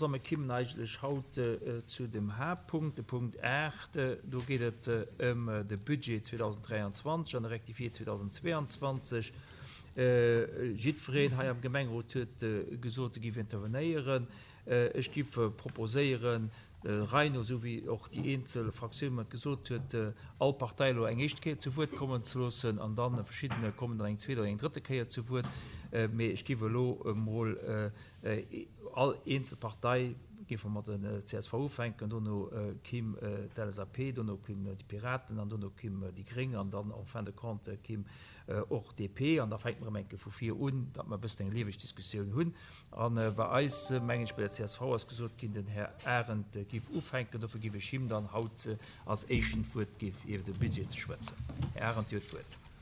A mir kimmen eigentlech haut zu dem Haaptpunkt, de Punkt 8. Do geet et ëm de Budget 2023 an de Rectifié 2022. Jiddwereen hei am Gemengerot huet gesot, e géif intervenéieren. Ech géif proposéieren, der Rei no, esou wéi och déi eenzel Fraktioun mer et gesot huet, all Partei elo eng éischt Kéier zu Wuert kommen ze loossen an dann verschiddeene kommen dann eng zweet oder eng drëtte Kéier zu Wuert. Mee ech géif elo emol All eenzel Partei, géife mer mat der csv ufänken, dono kimm d'LSAP, dono kimm déi Piraten an dono kimm déi Gréng an dann en fin de compte kimm och DP. An da fänke mer erëm eng Kéier vu vir un, datt mer e bëssen eng lieweg Diskussioun hunn. A bei eis, mengen ech, bei der csv ass gesot ginn, den Här Arendt géif ufänken. Dofir géif ech him dann haut als Éischten d'Wuert gi fir iwwer de Budget ze schwätzen. Här Arendt, Dir hutt d'Wuert.